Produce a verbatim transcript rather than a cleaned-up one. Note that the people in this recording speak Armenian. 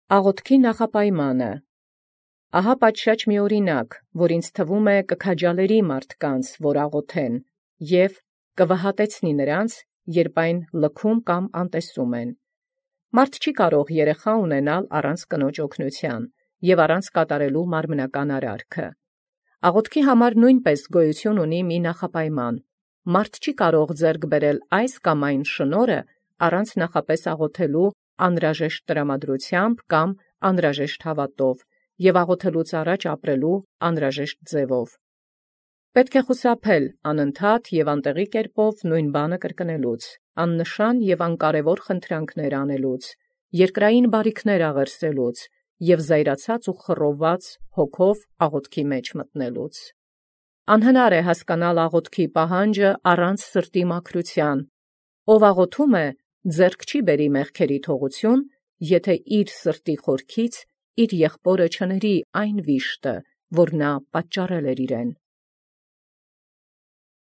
Աղաւթքի նախապայմանը։ Ահա պատշաճ մի օրինակ, որ ինձ թվում կքաջալերի մարդկանց, որ աղոթեն, և կվհատեցնի նրանց, երբ այն լքում կամ անտեսում են։ Մարդ չի կարող երեխա ունենալ առանց կնոջ օգնութեան և առանց կատարելու մարմնական արարքը։ Աղոթքի համար նույնպես գոյություն ունի մի նախապայման. մարդ չի կարող ձեռք բերել այս կամ այն շնորհը առանց նախապես աղոթելու անհրաժեշտ տրամադրությամբ կամ անհրաժեշտ հաւատով և աղոթելուց առաջ ապրելու անհրաժեշտ ձևով։ Պետք է խուսափել անընդհատ և անտեղի կերպով նույն բանը կրկնելուց, աննշան և անկարևոր խնդրանքներ անելուց, երկրային բարիքներ աղերսելուց և զայրացած ու խռովված հոգով աղոթքի մեջ մտնելուց։ Անհնար է հասկանալ աղոթքի պահանջը առանց սրտի մաքրութեան. ով աղոթում է, ձեռք չի բերի մեղքերի թողութիւն, եթէ իր սրտի խորքից իր եղբօրը չների այն վիշտը, որ նա պատճառել էր իրեն։